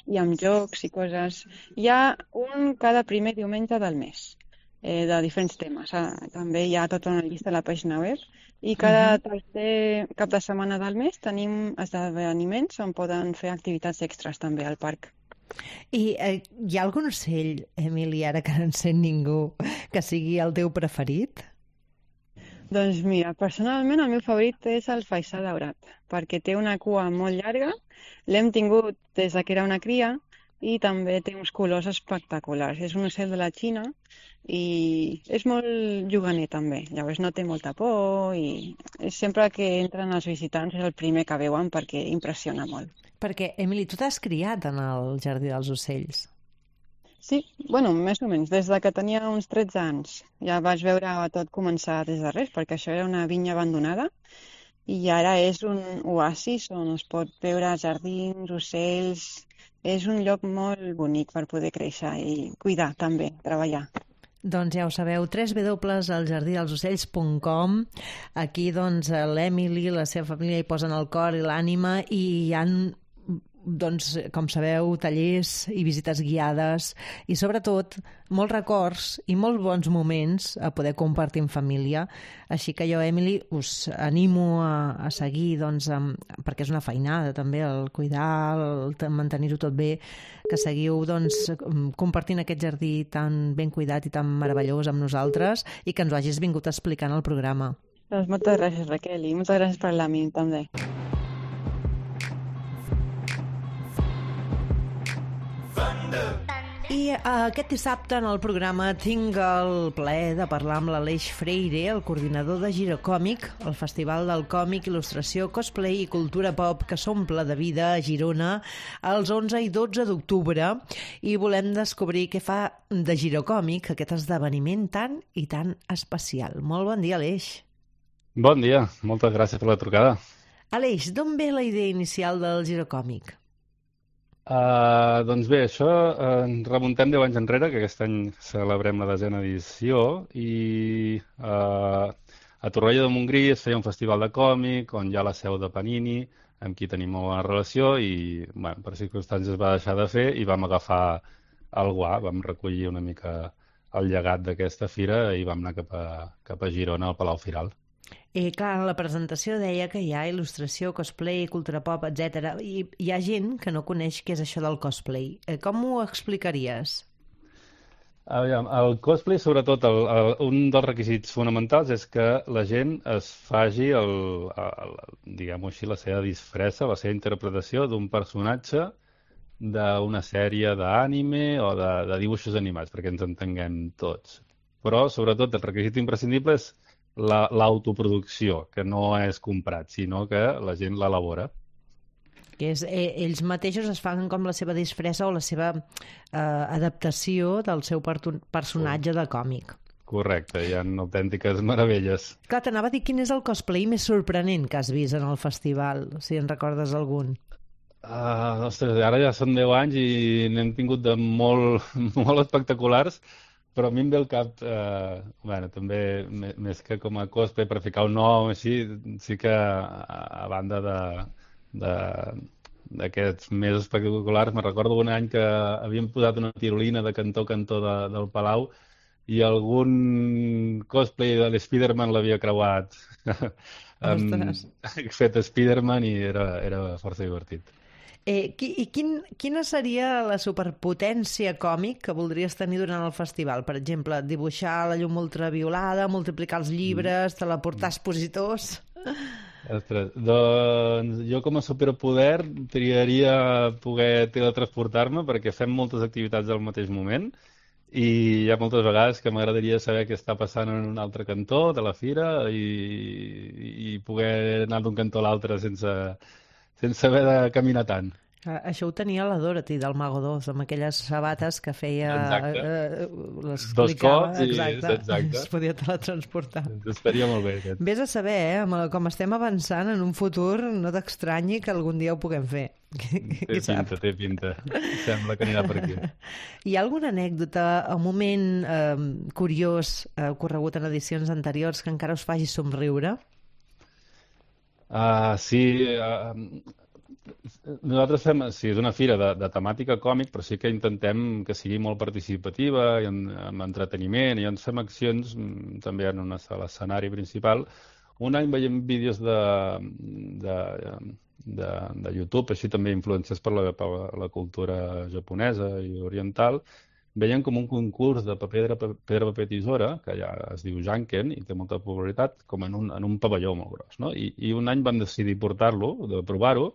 i amb jocs i coses. Hi ha un cada primer diumenge del mes, eh, de diferents temes. Ah, també hi ha tota una llista a la pàgina web i cada tercer cap de setmana del mes tenim esdeveniments on poden fer activitats extras també al parc. I eh, hi ha algun ocell, Emily, ara que no en sent ningú, que sigui el teu preferit? Doncs mira, personalment el meu favorit és el faisà daurat, perquè té una cua molt llarga, l'hem tingut des que era una cria i també té uns colors espectaculars. És un ocell de la Xina i és molt juganer també, llavors no té molta por i sempre que entren els visitants és el primer que veuen perquè impressiona molt. Perquè, Emily, tu t'has criat en el Jardí dels Ocells. Sí, bueno, més o menys, des de que tenia uns tretze anys. Ja vaig veure tot començar des de res, perquè això era una vinya abandonada i ara és un oasis on es pot veure jardins, ocells. És un lloc molt bonic per poder créixer i cuidar també, treballar. Doncs ja ho sabeu, w w w punt el jardí dels ocells punt com. Aquí, doncs, l'Emily i la seva família hi posen el cor i l'ànima i hi ha, doncs, com sabeu, tallers i visites guiades i, sobretot, molts records i molts bons moments a poder compartir en família. Així que jo, Emily, us animo a, a seguir, doncs, amb, perquè és una feinada també, el cuidar, el mantenir-ho tot bé, que seguiu, doncs, compartint aquest jardí tan ben cuidat i tan meravellós amb nosaltres i que ens ho hagis vingut explicant al programa. Doncs moltes gràcies, Raquel, i moltes gràcies per parlar amb mi també. I aquest dissabte en el programa tinc el plaer de parlar amb l'Aleix Freire, el coordinador de Girocòmic, el festival del còmic, il·lustració, cosplay i cultura pop que s'omple de vida a Girona els onze i dotze d'octubre, i volem descobrir què fa de Girocòmic aquest esdeveniment tan i tan especial. Molt bon dia, Aleix. Bon dia, moltes gràcies per la trucada. Aleix, d'on ve la idea inicial del Girocòmic? Uh, doncs bé, això uh, ens remuntem deu anys enrere, que aquest any celebrem la desena edició, i uh, a Torroella de Montgrí es feia un festival de còmic on hi ha la seu de Panini, amb qui tenim molt bona relació, i bueno, per circumstàncies es va deixar de fer i vam agafar el guà, vam recollir una mica el llegat d'aquesta fira i vam anar cap a, cap a Girona, al Palau Firal. Eh, clar, en la presentació deia que hi ha il·lustració, cosplay, cultura pop, etcètera. I hi ha gent que no coneix què és això del cosplay. Eh, com ho explicaries? Aviam, el cosplay, sobretot, el, el, un dels requisits fonamentals és que la gent es faci, el, el, diguem-ho així, la seva disfressa, la seva interpretació d'un personatge d'una sèrie d'ànime o de, de dibuixos animats, perquè ens entenguem tots. Però, sobretot, el requisit imprescindible és l'autoproducció, la, que no és comprat, sinó que la gent l'elabora. Que és, eh, ells mateixos es fan com la seva disfressa o la seva eh, adaptació del seu personatge de còmic. Correcte, hi ha autèntiques meravelles. Clar, t'anava a dir quin és el cosplay més sorprenent que has vist en el festival, si en recordes algun. Uh, ostres, ara ja són deu anys i n'hem tingut de molt, molt espectaculars, però a mi em ve al cap, eh, bueno, també, més que com a cosplay, per ficar un nom així, sí que a, a banda de, de, d'aquests més espectaculars, me recordo un any que havíem posat una tirolina de cantó a cantó de, del Palau i algun cosplay de l'Spiderman l'havia creuat amb, fet Spiderman i era, era força divertit. Eh, I quin, quina seria la superpotència còmic que voldries tenir durant el festival? Per exemple, dibuixar la llum ultraviolada, multiplicar els llibres, mm. teleportar expositors... Ostres, doncs jo com a superpoder triaria poder teletransportar-me perquè fem moltes activitats al mateix moment i hi ha moltes vegades que m'agradaria saber què està passant en un altre cantó de la fira i, i poder anar d'un cantó a l'altre sense... sense haver de caminar tant. Això ho tenia la Dorothy del Mago dos, amb aquelles sabates que feia... Eh, Dos cops i... Exacte. Exacte. Es podia teletransportar. Estaria molt bé. Aquest. Vés a saber, eh? Com estem avançant, en un futur no t'estranyi que algun dia ho puguem fer. Té pinta, té pinta. Sembla que anirà per aquí. Hi ha alguna anècdota, un moment eh, curiós eh, ocorregut en edicions anteriors que encara us faci somriure? Uh, sí, uh, nosaltres fem, sí, és una fira de, de temàtica còmic, però sí que intentem que sigui molt participativa i en, amb entreteniment, i ens fem accions també en una sala escenari principal. Un any veiem vídeos de, de, de, de YouTube, així també influenciats per la, per la cultura japonesa i oriental. Veiem com un concurs de pedra, pedra, paper, tisora, que ja es diu Janken i té molta popularitat, com en un, en un pavelló molt gros. No? I, I un any vam decidir portar-lo, de provar-ho,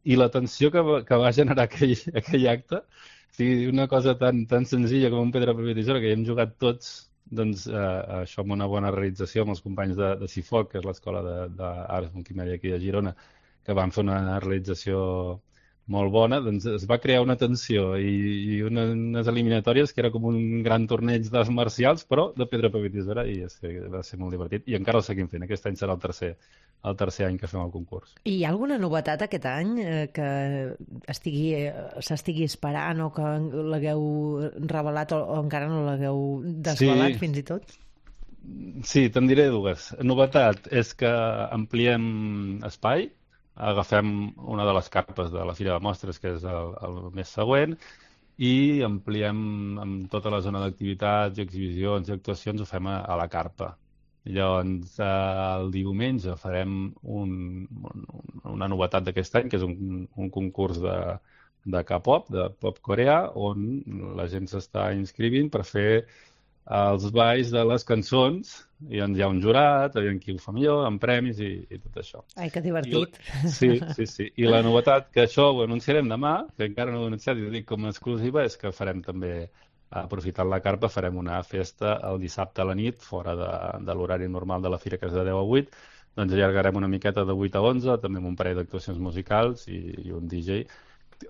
i l'atenció que, que va generar aquell, aquell acte, o sigui, una cosa tan, tan senzilla com un pedra, paper, tisora, que hi hem jugat tots, doncs eh, això amb una bona realització amb els companys de, de CIFOC, que és l'escola d'Arts Multimèdia aquí de Girona, que van fer una realització molt bona, doncs es va crear una tensió i, i una, unes eliminatòries que era com un gran torneig d'arts marcials, però de pedra, paper, tisora, i és que va ser molt divertit. I encara el seguim fent. Aquest any serà el tercer, el tercer any que fem el concurs. I hi ha alguna novetat aquest any eh, que estigui, eh, s'estigui esperant o que l'hagueu revelat o, o encara no l'hagueu desvelat sí. fins i tot? Sí, te'n diré dues. Novetat és que ampliem espai, agafem una de les carpes de la Fira de Mostres, que és el, el mes següent, i ampliem amb tota la zona d'activitats, exhibicions i actuacions, ho fem a, a la carpa. Llavors, el diumenge farem un, un, una novetat d'aquest any, que és un, un concurs de, de K-pop, de pop coreà, on la gent s'està inscrivint per fer els balls de les cançons, i hi ha un jurat, hi ha qui ho fa millor, amb premis i, i tot això. Ai, que divertit. I, sí, sí, sí. I la novetat, que això ho anunciarem demà, que encara no ho he anunciat i ho dic com a exclusiva, és que farem també, aprofitant la carpa, farem una festa el dissabte a la nit, fora de, de l'horari normal de la fira, que és de deu a vuit, doncs allargarem una miqueta de vuit a onze, també amb un parell d'actuacions musicals i, i un D J,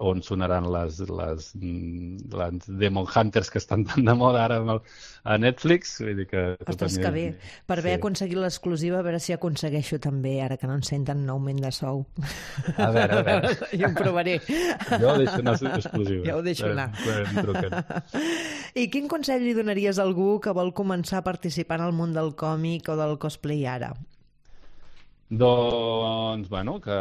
on sonaran les, les, les Demon Hunters que estan tan de moda ara a Netflix. Vull dir que Ostres, que bé. Per haver sí. aconseguit l'exclusiva, a veure si aconsegueixo també, ara que no ens senten, un augment de sou. A veure, a veure. Jo ho provaré. Jo ho deixo anar exclusiva. Ja ho deixo anar. Eh, I quin consell li donaries a algú que vol començar a participar en el món del còmic o del cosplay ara? Doncs, bueno, que...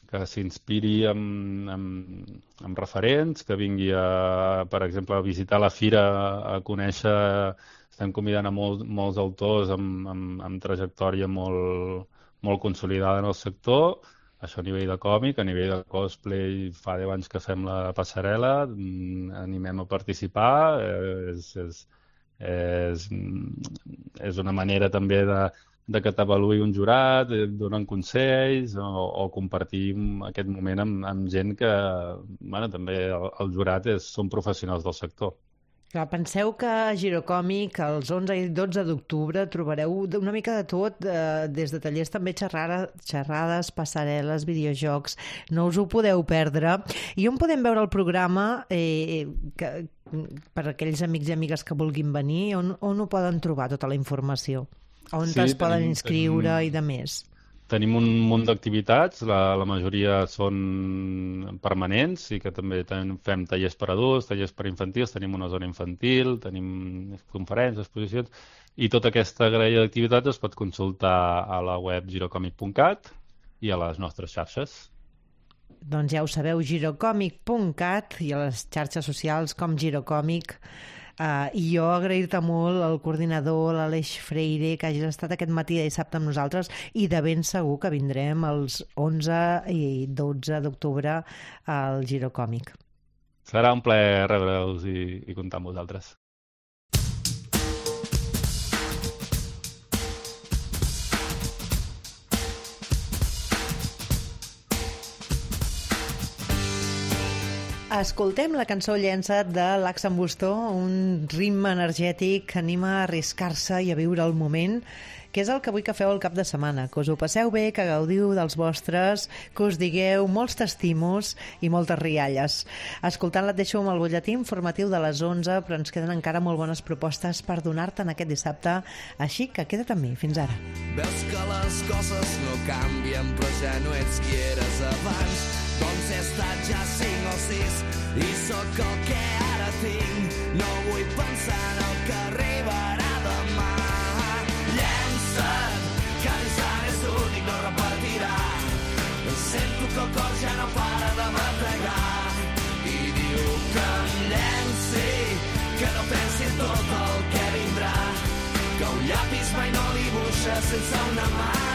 que s'inspiri amb, amb, amb referents, que vingui, a, per exemple, a visitar la fira, a conèixer... Estem convidant a molt, molts autors amb, amb, amb trajectòria molt, molt consolidada en el sector, això a nivell de còmic, a nivell de cosplay, fa deu anys que fem la passarel·la, animem a participar, és, és, és, és una manera també de... de que t'avaluï un jurat, donen consells o, o compartir aquest moment amb, amb gent que, bueno, també el, el jurat és, són professionals del sector. Clar, penseu que a Girocòmic els onze i dotze d'octubre trobareu una mica de tot, eh, des de tallers també xerrades, xerrades, passarel·les, videojocs, no us ho podeu perdre. I on podem veure el programa eh, que, per aquells amics i amigues que vulguin venir, on, on ho poden trobar tota la informació? On sí, es poden tenim, inscriure tenim, i de més? Tenim un munt d'activitats, la, la majoria són permanents i que també tenim, fem tallers per adults, tallers per infantils, tenim una zona infantil, tenim conferències, exposicions, i tota aquesta graella d'activitats es pot consultar a la web girocòmic punt cat i a les nostres xarxes. Doncs ja ho sabeu, girocòmic punt cat i a les xarxes socials com Girocòmic. Uh, I jo agrair-te molt al coordinador, l'Aleix Freire, que hagis estat aquest matí de dissabte amb nosaltres, i de ben segur que vindrem els onze i dotze d'octubre al Girocòmic. Serà un plaer rebre-us i, i comptar amb vosaltres. Escoltem la cançó Llença't de l'Ax en Bustó, un ritme energètic que anima a arriscar-se i a viure el moment, que és el que vull que feu el cap de setmana, que us ho passeu bé, que gaudiu dels vostres, que us digueu molts t'estimos i moltes rialles. Escoltant-la et deixo amb el butlletí informatiu de les onze, però ens queden encara molt bones propostes per donar-te en aquest dissabte, així que queda't amb mi. Fins ara. Veus que les coses no canvien, però ja no ets qui eres abans. Doncs he estat ja cinc o sis i sóc el que ara tinc. No vull pensar en el que arribarà demà. Llença't, que l'instant és únic, no repartirà. Sento que el cor ja no para de bategar i diu que em llenci, que no pensi en tot el que vindrà, que un llapis mai no dibuixa sense una mà.